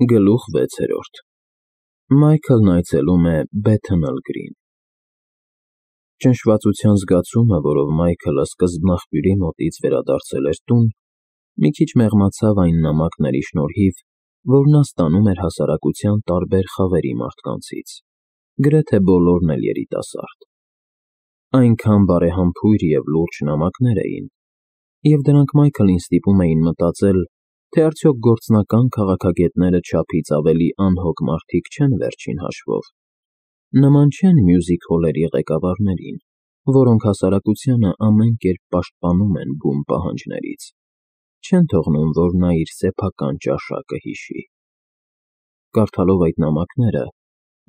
Գլուխ 6. Մայքլն այցելում է Բեթանալ Գրին։ Ճնշվածության զգացումը, որով Մայքլը սկզբնաղբյուրի մոտից վերադարձել էր տուն, մի քիչ մեղմացավ այն նամակների շնորհիվ, որ նա ստանում էր հասարակության տարբեր խավերի մարդկանցից, գրեթե բոլորն էլ երիտասարդ։ Այնքան բարեհամբույր և լուրջ նամակներ էին, և դրանք Մայքլին ստիպում էին մտածել, թե արդյոք գործնական քաղաքագետները չափից ավելի անհոգ մարդիկ չեն վերջին հաշվով, նման չեն մյուզիք հոլերի ղեկավարներին, որոնք հասարակությանը ամեն կերպ պաշտպանում են բուն պահանջներից, չեն թողնում, որ նա իր սեփական ճաշակը հիշի։ Կարդալով այդ նամակները,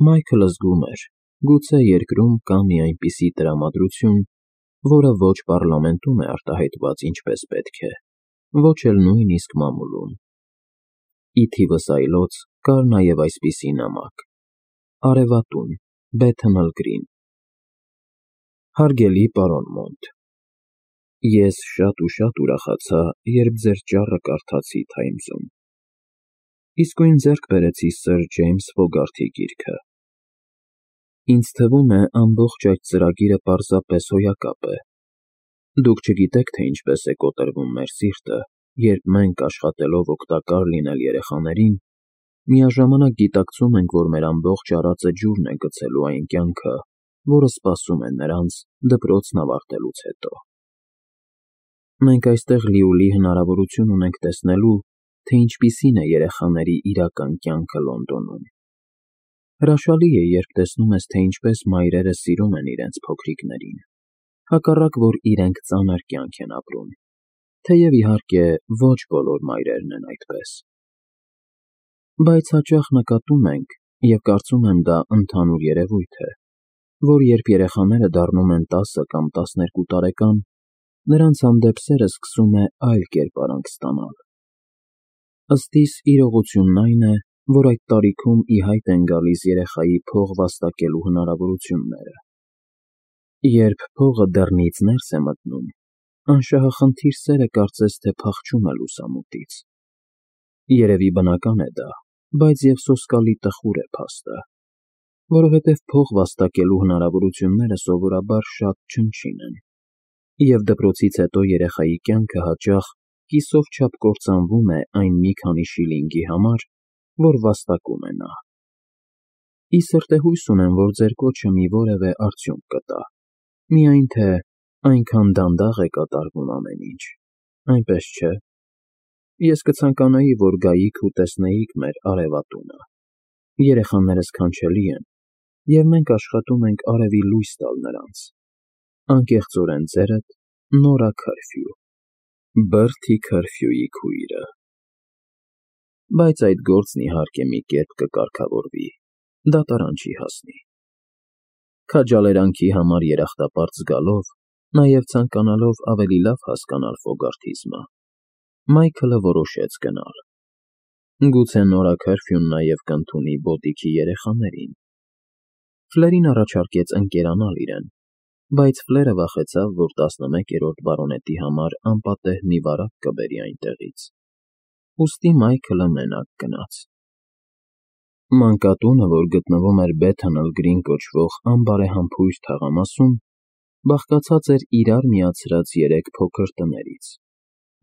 Մայքլը զգում էր, գուցե երկրում կա մի այնպիսի տրամադրություն, որը ոչ պառլամենտում է արտահայտված ինչպես պետք է, ոչ էլ նույնիսկ մամուլում։ Ի թիվս այլոց կար նաև այսպիսի նամակ. Արևատուն, Բեթանալ Գրին։ Հարգելի պարոն Մոնտ, ես շատ ու շատ ուրախացա, երբ ձեր ճառը կարդացի Թայմզում։ Իսկույն ձեռք բերեցի սըր Ջեյմս Ֆոգարթի գիրքը։ Ինձ թվում է, ամբողջ այդ ծրագիրը պարզապես հոյակապ է։ Դուք չգիտեք, թե ինչպես է կոտրվում մեր սիրտը, երբ մենք, աշխատելով օգտակար լինել երեխաներին, միաժամանակ գիտակցում ենք, որ մեր ամբողջ արածը ջուրն է գցելու այն կյանքը, որը սպասում է նրանց դպրոցն ավարտելուց հետո։ Մենք այստեղ լիովին հնարավորություն ունենք տեսնելու, թե ինչպիսին է երեխաների իրական կյանքը Լոնդոնում։ Հրաշալի է, երբ տեսնում ես, թե ինչպես մայրերը սիրում են իրենց փոքրիկներին, հակառակ որ իրենք ծանր կյանք են ապրում, թեև, իհարկե, ոչ բոլոր մայրերն են այդպես։ Բայց հաճախ նկատում ենք, և կարծում եմ դա ընդհանուր երևույթ է, որ երբ երեխաները դառնում են 10 կամ 12 տարեկան, նրանց հանդեպ սերը սկսում է այլ կերպարանք ստանալ։ Ըստ իս, իրողությունն այն է, որ այդ տարիքում ի հայտ են գալիս երեխայի փող վաստակելու հնարավորությունները։ Երբ փողը դռնից ներս է մտնում, անշահախնդիր սերը կարծես թե փախչում է լուսամուտից։ Երևի բնական է դա, բայց և սոսկալի տխուր է փաստը, որովհետև փող վաստակելու հնարավորությունները սովորաբար շատ չնչին են, և դպրոցից հետո երեխայի կյանքը հաճախ կիսով չափ կործանվում է այն մի քանի շիլինգի համար, որ վաստակում է նա։ Ի սրտե հույս ունեմ, որ ձեր կոչը մի որևէ արդյունք կտա, միայն թե այնքան դանդաղ է կատարվում ամեն ինչ, այնպես չէ։ Ես կցանկանայի, որ գայիք ու տեսնեիք մեր արևատունը։ Երեխաներս քանչելի են, և մենք աշխատում ենք արևի լույս տալ նրանց։ Անկեղծորեն ձերդ, Նորա Քարֆյու, Բրթի Քարֆյուի քույրը։ Բայց այդ գործն իհարկե մի կերպ կկարգավորվի, դատարան չի հասնի։ Քաջալերանքի համար երախտապարտ զգալով, նաև ցանկանալով ավելի լավ հասկանալ Ֆոգարթիզմը, Մայքլը որոշեց գնալ։ Գուցե Նորա Քարֆյուն նաև կընդունի բոդիքի երեխաներին։ Ֆլերին առաջարկեց ընկերանալ իրեն, բայց Ֆլերը վախեցավ, որ 11-րդ բարոնետի համար անպատեհ մի վարակ կբերի այնտեղից։ Ուստի Մայքլը մենակ գնաց։ Մանկատունը, որ գտնվում էր Բեթանալ Գրին կոչվող անբարեհամբույր թաղամասում, բաղկացած էր իրար միացրած 3 փոքր տներից,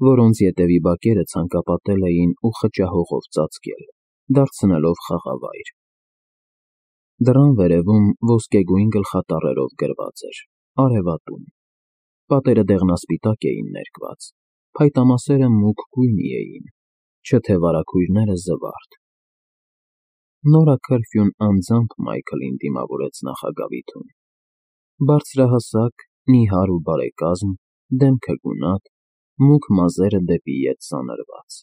որոնց ետևի բակերը ցանկապատել էին ու խճահողով ծածկել, դարձնելով խաղավայր։ Դռան վերևում ոսկեգույն գլխատառերով գրված էր «Արևատուն»։ Պատերը դեղնասպիտակ էին ներկված, փայտամասերը մուգ գույնի էին, չթե վարագույրները՝ զվարթ։ Նորա Քարֆյուն անձամբ Մայքլին դիմավորեց նախագավիթում։ Բարձրահասակ, նիհար ու բարեկազմ, դեմքը գունատ, մուգ մազերը դեպի ետ ծանրված։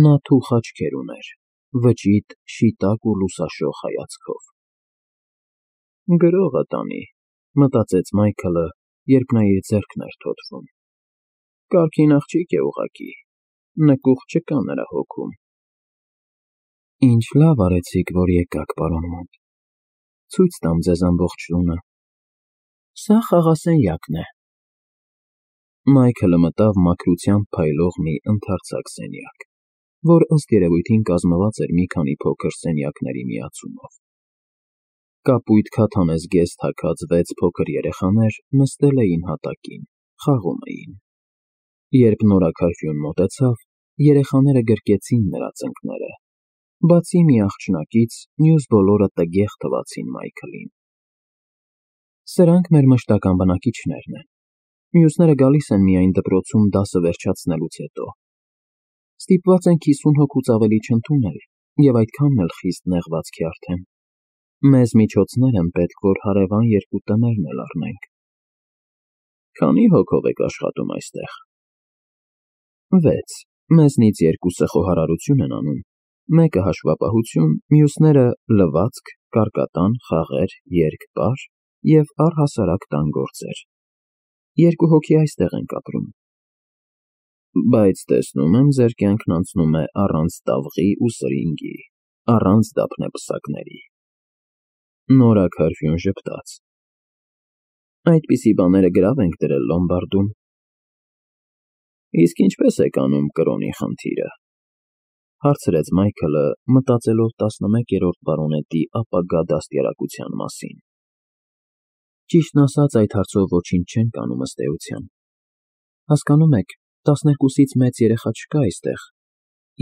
Նա թուխ աչքեր ուներ, վճիտ, շիտակ ու լուսաշող հայացքով։ «Գրողը տանի», մտածեց Մայքլը, երբ նա իր ձեռքն էր թոթվում։ «Կարգին աղջիկ է ուղղակի, նկուղ չկա նրա հոգում»։ Ինչ լավ արեցիք, որ եկաք, պարոն Մոնտ, ցույց տամ ձեզ ամբողջ տունը։ Սա խաղասենյակն է։ Մայքլը մտավ մաքրությամբ փայլող մի ընդարձակ սենյակ։ որ ըստ երևույթին կազմված էր մի քանի փոքր սենյակների միացումով։ Կապույտ քաթանե զգեստ թաքած 6 փոքր երեխաներ նստել էին հատակին, խաղում էին։ Երբ նորաքարֆյուն մոտեցավ, երեխաները գրկեցին նրա ծնկները, բացի մի աղջնակից, մյուս բոլորը տգեղ թվացին Մայքլին։ Սրանք մեր մշտական բնակիչներն են, մյուսները գալիս են միայն դպրոցում դասը վերջացնելուց հետո։ Ստիպված ենք 50 հոգուց ավելի չընդունել և այդքանն էլ խիստ նեղվածքի արդեն։ Մեզ միջոցներ են պետք, որ հարևան 2 տներն էլ առնենք։ Քանի հոգով եք աշխատում այստեղ։ 6, մեզնից 2-ը խոհարարություն են անում, մեկը հաշվապահություն, մյուսները լվացք, կարկատան, խաղեր, երգ, պար և առհասարակ տան գործեր։ 2 հոգի այստեղ ենք ապրում։ Բայց տեսնում եմ, ձեր կյանքն անցնում է առանց տավղի ու սրինգի, առանց դափնեպսակների։ Նորաքարֆյուն ժպտաց։ Այդպիսի բաները գրավ ենք դրել լոմբարդում։ Իսկ ինչպես եք անում կրոնի խնդիրը, հարցրեց Մայքլը, մտածելով 11-րդ բարոնետի ապագա դաստիարակության մասին։ Ճիշտն ասած, այդ հարցով ոչինչ չենք անում ըստ էության։ Հասկանում եք, 12-ից մեծ երեխա չկա այստեղ,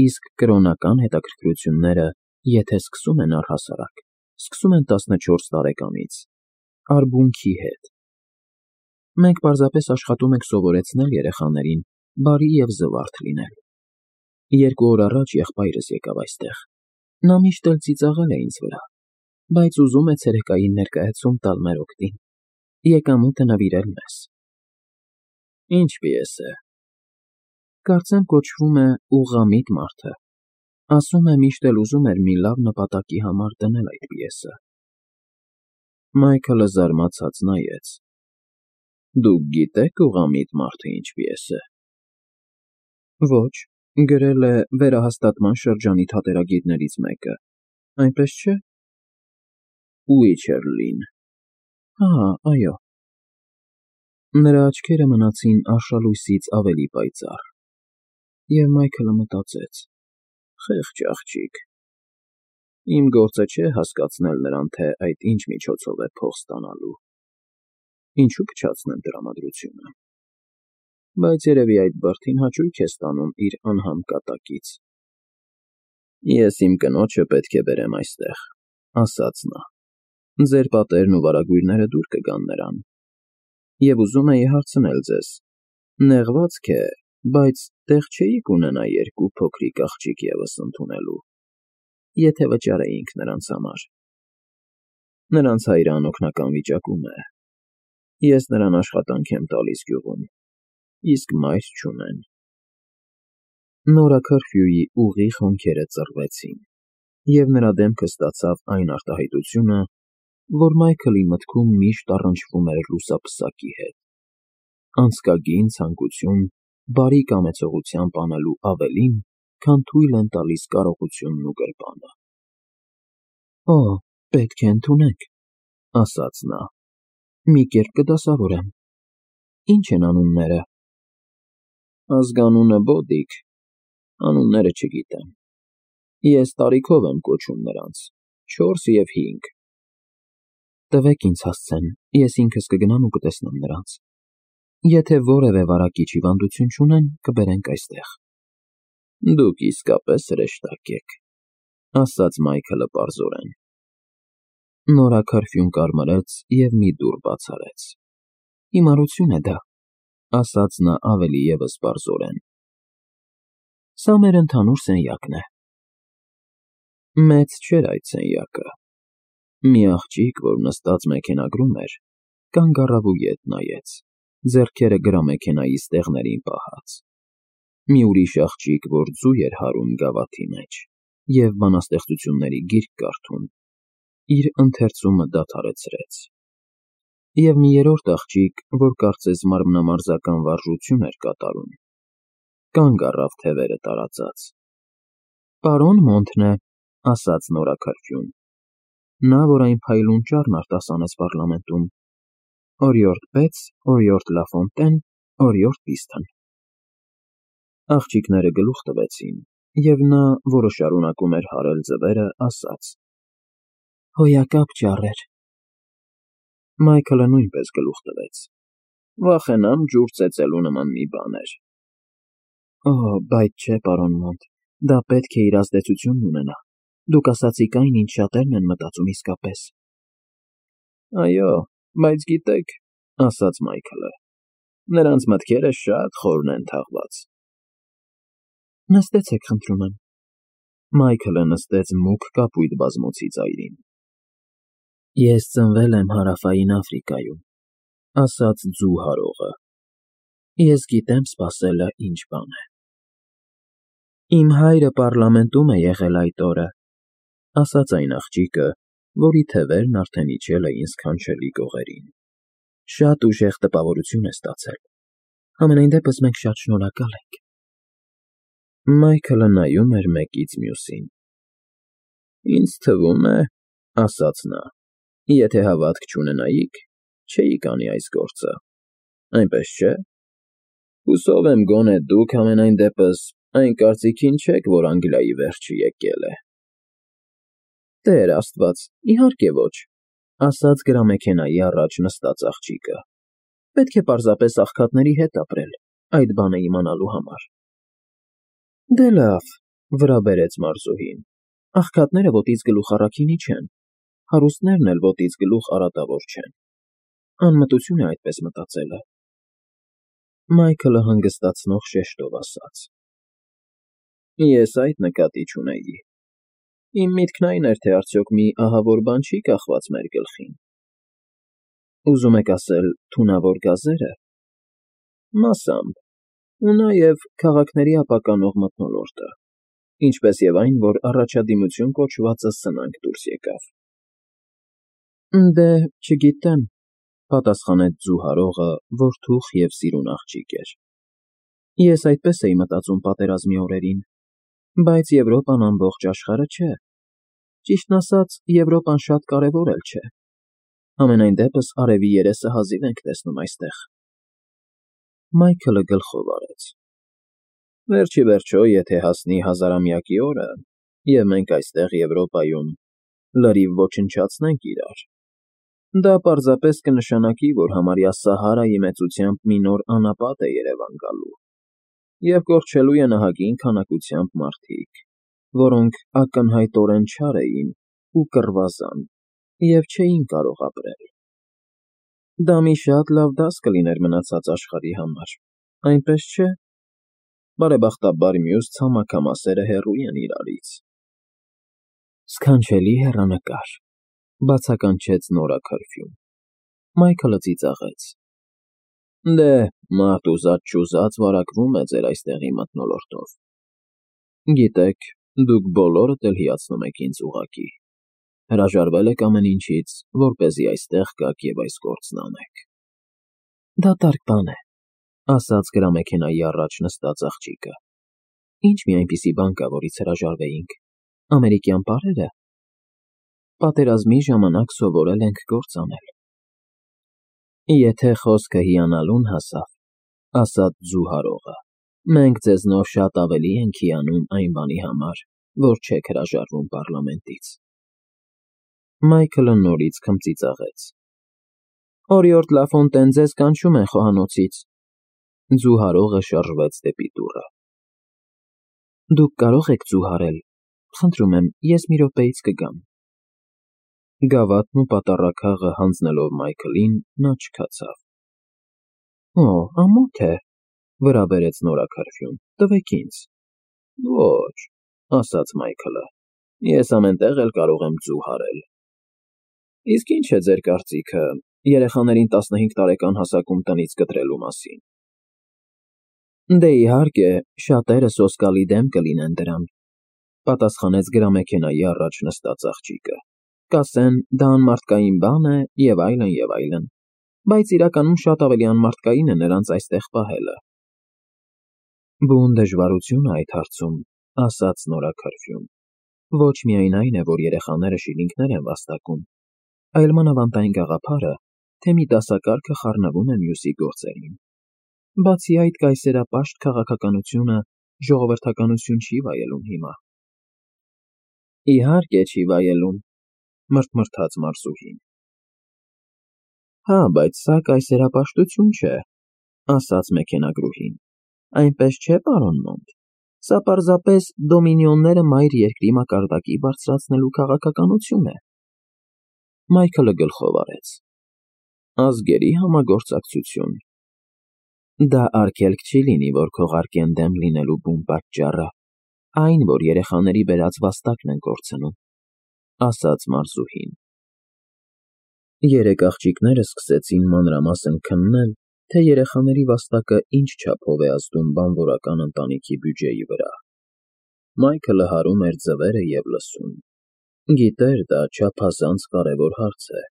իսկ կրոնական հետաքրքրությունները, եթե սկսում են առհասարակ, սկսում են 14 տարեկանից, արբունքի հետ։ Մենք պարզապես աշխատում ենք սովորեցնել երեխաներին բարի և զվարթ լինել։ 2 օր առաջ եղբայրս եկավ այստեղ։ Նա միշտ էլ ծիծաղել է ինձ վրա, բայց ուզում է ցերեկային ներկայացում տալ մեր օգտին, եկամուտը նվիրել մեզ։ Ինչ պիես է։ Կարծեմ կոչվում է «Ուղղամիտ մարդը»։ Ասում է միշտ էլ ուզում էր մի լավ նպատակի համար դնել այդ պիեսը։ Մայքլը զարմացած նայեց։ Դուք գիտեք «Ուղղամիտ մարդը» ինչ պիես է։ Ոչ, գրել է վերահաստատման շրջանի թատերագիրներից մեկը, այնպես չէ։ Ուիչերլին։ Այո։ Նրա աչքերը մնացին արշալույսից ավելի պայծառ, և Մայքլը մտածեց. խեղճ աղջիկ։ Իմ գործը չէ հասկացնել նրան, թե այդ ինչ միջոցով է փող ստանալու։ Ինչու փչացնեմ տրամադրությունը։ Բայց երևի այդ բրդին հաճույք է ստանում իր անհամ կատակից։ Ես իմ կնոջը պետք է բերեմ այստեղ, ասաց նա։ Ձեր պատերն ու վարագույրները դուր կգան նրան։ Եվ ուզում էի հարցնել ձեզ. նեղվածք է, բայց տեղ չէիք ունենա 2 փոքրիկ աղջիկ ևս ընդունելու, եթե վճարեինք նրանց համար։ Նրանց հայրը անօգնական վիճակում է։ Ես նրան աշխատանք եմ տալիս գյուղում, իսկ մայր չունեն։ Նորաքարֆյուի ուղիղ հոնքերը ծռվեցին, և նրա դեմքը ստացավ այն արտահայտությունը, որ Մայքլի մտքում միշտ առնչվում էր լուսապսակի հետ։ Անցկագին ցանկություն բարի կամեցողությամբ անելու ավելին, քան թույլ են տալիս կարողությունն ու գրպանը։ Օ, պետք է ընդունեք, ասաց նա։ Մի կերպ կդասավորեմ։ Ինչ են անունները։ Ազգանունը Բոդիկ, անունները չգիտեմ։ Ես տարիքով եմ կոչում նրանց, 4 և 5։ Տվեք ինձ հասցեն, ես ինքս կգնամ ու կտեսնեմ նրանց։ Եթե որևէ վարակիչ հիվանդություն չունեն, կբերենք այստեղ։ Դուք իսկապես հրեշտակ եք, ասաց Մայքլը պարզորեն։ Նորաքարֆյուն կարմրեց և մի դուռ բաց արեց։ Հիմարություն է դա, ասաց նա ավելի ևս պարզորեն։ Սա մեր ընդհանուր սենյակն է։ Մեծ չէր այդ սենյակը։ Մի աղջիկ, որ նստած մեքենագրում էր, կանգ առավ ու ետ նայեց, ձեռքերը գրամեքենայի ստեղներին պահած։ Մի ուրիշ աղջիկ, որ ձու էր հարում գավաթի մեջ և բանաստեղծությունների գիրք կարդում, իր ընթերցումը դադարեցրեց։ Եվ մի երրորդ աղջիկ, որ կարծես մարմնամարզական վարժություն էր կատարում, կանգ առավ թևերը տարածած։ Պարոն Մոնթն է, ասաց նորաքարֆյուն։ Նա, որ այն փայլուն ճառն արտասանեց պառլամենտում։ Օրիորդ Բեց, օրիորդ Լաֆոնտեն, օրիորդ Պիստոն։ Աղջիկները գլուխ տվեցին և նա, որը շարունակում էր հարել ձվերը, ասաց. «Հոյակապ ճառեր»։ Մայքլը նույնպես գլուխ տվեց. «Վախենամ ջուր ծեծելու նման մի բան էր»։ «Օ, բայց չէ, պարոն Մոնտ, դա պետք է իր ազդեցությունն ունենա։ Դուք ասացիք այն, ինչ շատերն են մտածում իսկապես»։ «Այո, բայց գիտեք», ֊ ասաց Մայքլը, «նրանց մտքերը շատ խորն են թաղված»։ «Նստեցեք, խնդրում եմ»։ Մայքլը նստեց մուգ կապույտ բազմոցի ծայրին։ «Ես ծնվել եմ Հարավային Աֆրիկայում», ֊ ասաց ձու հարողը։ «Ես գիտեմ սպասելը ինչ բան է»։ «Իմ հայրը պառլամենտում է եղել այդ օրը», ֊ ասաց այն աղջիկը, որի թևերն արդեն իջել էին սքանչելի կողերին։ «Շատ ուժեղ տպավորություն է ստացել։ Համենայն դեպս մենք շատ շնորհակալ ենք»։ Մայքլը նայում էր մեկից մյուսին։ «Ինձ թվում է, ֊ ասաց նա, ֊ եթե հավատք չունենայիք, չէիք անի այս գործը, այնպես չէ՞։ Հուսով եմ գոնե դուք համենայն դեպս այն կարծիքին չեք, որ Անգլիայի վերջը եկել է»։ «Տեր Աստված, իհարկե ոչ», ֊ ասաց գրամեքենայի առաջ նստած աղջիկը։ «Պետք է պարզապես աղքատների հետ ապրել, այդ բանը իմանալու համար»։ «Դե լավ», ֊ վրա բերեց մարզուհին, «աղքատները ոտից գլուխ առաքինի չեն, հարուստներն էլ ոտից գլուխ արատավոր չեն։ Անմտություն է այդպես մտածելը»։ Մայքլը հանգստացնող շեշտով ասաց. «Ես այդ նկատի չունեի։ Իմ միտքն այն էր, թե արդյոք մի ահավոր բան չի կախված մեր գլխին։ Ուզում եք ասել թունավոր գազե՞րը։ Մասամբ, ու նաև քաղաքների ապականող մթնոլորտը, ինչպես և այն, որ առաջադիմություն կոչվածը սնանկ դուրս եկավ»։ «Դե, չգիտեմ», ֊ պատասխանեց ձու հարողը, որ թուխ և սիրուն աղջիկ էր։ «Ես այդպես էի մտածում պատերազմի օրերին, բայց Եվրոպան ամբողջ աշխարհը չէ։ Ճիշտն ասած, Եվրոպան շատ կարևոր էլ չէ։ Համենայն դեպս արևի երեսը հազիվ ենք տեսնում այստեղ»։ Մայքլը գլխով արեց։ «Վերջ ի վերջո, եթե հասնի հազարամյակի օրը, և մենք այստեղ Եվրոպայում լրիվ ոչնչացնենք իրար, դա պարզապես կնշանակի, որ համարյա Սահարայի մեծությամբ մի նոր անապատ է երևան գալու, և կորչելու են ահագին քանակությամբ մարդիկ, որոնք ակնհայտորեն չար էին ու կռվազան և չէին կարող ապրել։ Դա մի շատ լավ դաս կլիներ մնացած աշխարհի համար, այնպես չէ՞։ Բարեբախտաբար մյուս ցամաքամասերը հեռու են իրարից»։ «Սքանչելի հեռանկար», ֊ բացականչեց Նորա Քարֆյուն։ Մայքլը ծիծաղեց. «Դե, մարդ ուզած֊չուզած վարակվում է ձեր այստեղի մթնոլորտով։ Գիտեք, դուք բոլորդ էլ հիացնում եք ինձ ուղղակի։ Հրաժարվել եք ամեն ինչից, որպեսզի այստեղ գաք և այս գործն անեք»։ «Դատարկ բան է», ֊ ասաց գրամեքենայի առաջ նստած աղջիկը։ «Ինչ մի այնպիսի բան կա, որից հրաժարվեինք, ամերիկյան պարե՞րը։ Պատերազմի ժամանակ սովորել ենք գործ անել»։ «Եթե խոսքը հիանալուն հասավ, ֊ ասաց ձու հարողը, ֊ մենք ձեզնով շատ ավելի ենք հիանում այն բանի համար, որ չեք հրաժարվում պառլամենտից»։ Մայքլը նորից քմծիծաղեց։ «Օրիորդ Լաֆոնտեն ձեզ կանչում են խոհանոցից»։ Ձու հարողը շարժվեց դեպի դուռը։ «Դուք կարող եք ձու հարել, խնդրում եմ, ես մի րոպեից կգամ»։ Գավաթն ու պատառաքաղը հանձնելով Մայքլին, նա չքացավ։ «Օ, ամոթ է», ֊ վրա բերեց Նորա Քարֆյուն, «տվեք ինձ»։ «Ոչ», ֊ ասաց Մայքլը, «ես ամեն տեղ էլ կարող եմ ձու հարել։ Իսկ ի՞նչ է ձեր կարծիքը երեխաներին 15 տարեկան հասակում տնից կտրելու մասին»։ «Դե, իհարկե, շատերը սոսկալի դեմ կլինեն դրան», ֊ պատասխանեց գրամեքենայի առաջ նստած աղջիկը։ «Կասեն, դա անմարդկային բան է և այլն, և այլն, բայց իրականում շատ ավելի անմարդկային է նրանց այստեղ պահելը»։ «Բուն դժվարություն է այդ հարցում», ֊ ասաց Նորա Քարֆյուն։ «Ոչ միայն այն է, որ երեխաները շիլինգներ են վաստակում, այլ մանավանդ այն գաղափարը, թե մի դասակարգը խառնվում է մյուսի գործերին։ Բացի այդ, կայսերապաշտ քաղաքականությունը ժողովրդականություն չի վայելում հիմա։ Իհարկե չի վայելում, մրթմրթաց Մարզուհին։ Հա, բայց սա կայսերապաշտություն չէ, ասաց մեքենագրուհին։ Այնպես չէ, պարոն Մոնտ։ Սա պարզապես դոմինիոնները մայր երկրի մակարդակի բարձրացնելու քաղաքականություն է։ Մայքլը գլխով արեց։ Ազգերի համագործակցություն։ Դա արգելք չի լինի, որ քողարկեն դեմ լինելու բուն պատճառը, այն, որ երեխաների բերած վաստակն են կորցնում, ասաց Մարզուհին։ Երեք աղջիկները սկսեցին մանրամասն քննել, թե երեխաների վաստակը ինչ չափով է ազդում բանվորական ընտանիքի բյուջեի վրա։ Մայքլը հարում էր ձվերը և լսում։ Գիտեր, դա չափազանց կարևոր հարց է։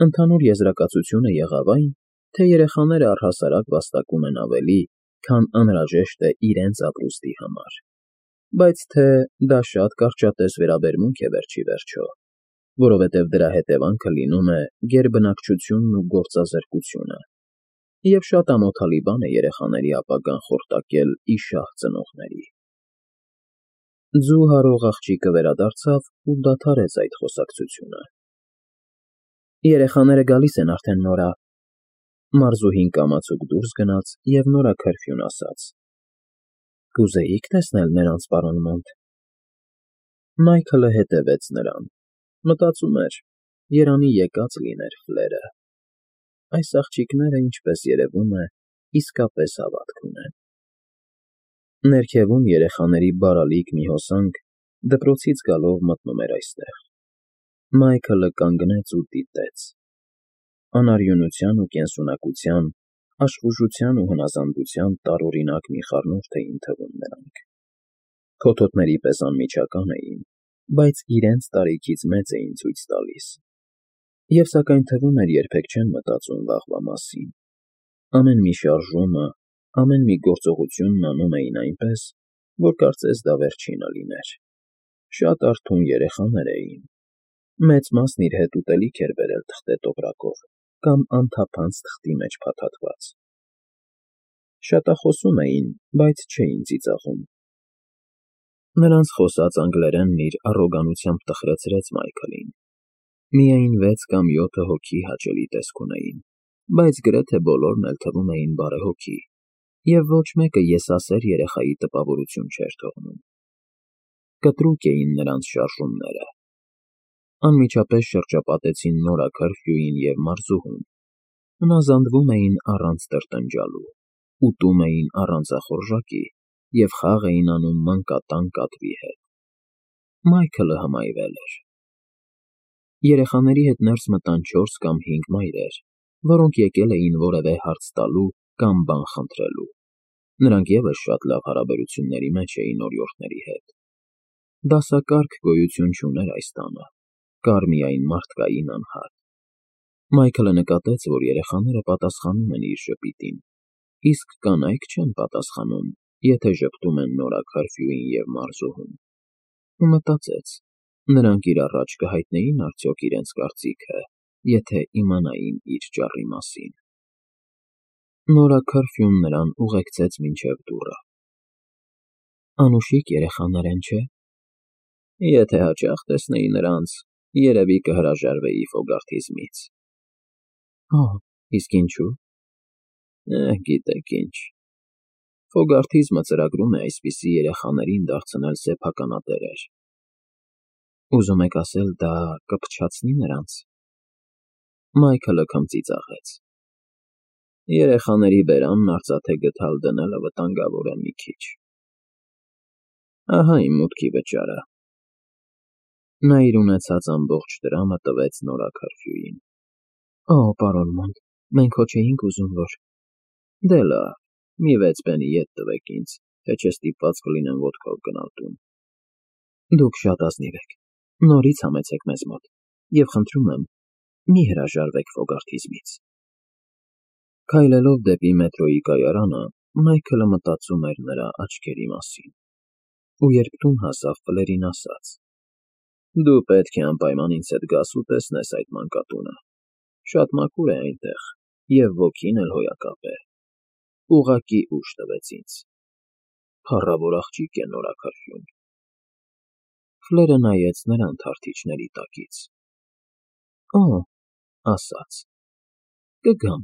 Ընդհանուր եզրակացությունը եղավ այն, թե երեխաները առհասարակ վաստակում են ավելի, քան անհրաժեշտ է իրենց ապրուստի համար, բայց թե դա շատ կարճատև վերաբերմունք է վերջ ի վերջո, որովհետև դրա հետևանքը լինում է գերբնակչությունն ու գործազրկությունը, և շատ ամոթալի բան է երեխաների ապագան խորտակել ի շահ ծնողների։ Ձու հարող աղջիկը վերադարձավ ու դադարեց այդ խոսակցությունը։ Երեխաները գալիս են արդեն, Նորա։ Մարզուհին կամացուկ դուրս գնաց և նորաքրֆյուն ասաց. Կուզեիք տեսնել նրանց, պարոն Մոնտ։ Մայքլը հետևեց նրան։ Մտածում էր, երանի եկած լիներ Ֆլերը։ Այս աղջիկները, ինչպես երևում է, իսկապես հավատք ունեն։ Ներքևում երեխաների բարալիկ մի հոսանք դպրոցից գալով մտնում էր այստեղ։ Մայքլը կանգնեց ու դիտեց։ Անարյունության ու կենսունակության, աշխուժության ու հնազանդության տարօրինակ մի խառնուրդ էին թվում նրանք։ Փոթոթների պես անմիջական էին, բայց իրենց տարիքից մեծ էին ցույց տալիս։ Եվ սակայն թվում էր երբեք չեն մտածում վաղվա մասին։ Ամեն մի շարժումը, ամեն մի գործողությունն անում էին այնպես, որ կարծես դա վերջինը լիներ։ Շատ արթուն երեխաներ էին։ Մեծ մասն իր հետ ուտելիք էր բերել թղթե տոպրակով կամ անթափանց թղթի մեջ փաթաթված։ Շատախոսում էին, բայց չէին ծիծաղում։ Նրանց խոսած անգլերենն իր առոգանությամբ տխրեցրեց Մայքլին։ Միայն 6 կամ 7 հոգի հաճելի տեսք ունեին, բայց գրեթե բոլորն էլ թվում էին բարեհոգի, և ոչ մեկը եսասեր երեխայի տպավորություն չէր թողնում։ Կտրուկ էին նրանց շարժումները։ Անմիջապես շրջապատեցին Նորա Քըրֆյուին և Մարզուհուն։ Հնազանդվում էին առանց տրտնջալու, ուտում էին առանց ախորժակի և խաղ էին անում մանկատան կատվի հետ։ Մայքլը հմայվել էր։ Երեխաների հետ ներս մտան 4 կամ 5 մայրեր, որոնք եկել էին որևէ հարց տալու կամ բան խնդրելու։ Նրանք ևս շատ լավ հարաբերությունների մեջ էին օրիորդների հետ։ Դասակարգ գոյություն չուներ այս տանը, կար միայն մարդկային անհատ։ Մայքլը նկատեց, որ երեխաները պատասխանում են իր ժպիտին, իսկ կանայք չեն պատասխանում, եթե ժպտում են Նորա Քըրֆյուին և Մարզուհուն։ Ու մտածեց, նրանք իր առաջ կհայտնեին արդյոք իրենց կարծիքը, եթե իմանային իր ճառի մասին։ Նորա Քըրֆյուն նրան ուղեկցեց մինչև դուռը։ Անուշիկ երեխաներ են, չէ՞։ Եթե հաճախ տեսնեի նրանց, երևի կհրաժարվեի Ֆոգարթիզմից։ Օհ, իսկ ինչու՞։ Գիտեք ինչ։ Ֆոգարթիզմը ծրագրում է այսպիսի երեխաներին դարձնել սեփականատերեր։ Ուզում եք ասել, դա կփչացնի նրանց։ Մայքլը քմծիծաղեց։ Երեխաների բերանն արծաթե գդալ դնելը վտանգավոր է մի քիչ։ Ահա իմ մուտքի վճարը։ Նա իր ունեցած ամբողջ դրամը տվեց Նորա Քըրֆյուին։ Օ, պարոն Մոնտ, մենք հո չէինք ուզում, որ… Դե լավ, մի 6 պենի ետ տվեք ինձ, թե չէ ստիպված կլինեմ ոտքով գնալ տուն։ Դուք շատ ազնիվ եք, նորից համեցեք մեզ մոտ, և խնդրում եմ, մի հրաժարվեք Ֆոգարթիզմից։ Քայլելով դեպի մետրոյի կայարանը, Մայքլը մտածում էր նրա աչքերի մասին։ Ու երբ տուն հասավ, Ֆլերին ասաց. Դու պետք է անպայման ինձ հետ գաս ու տեսնես այդ մանկատունը։ Շատ մաքուր է այնտեղ, և ոգին էլ հոյակապ է։ Ուղղակի ուժ տվեց ինձ։ Փառավոր աղջիկ է նորաքրթյուն։ Ֆլերը նայեց նրան թարթիչների տակից։ Օ՜, ասաց, կգամ։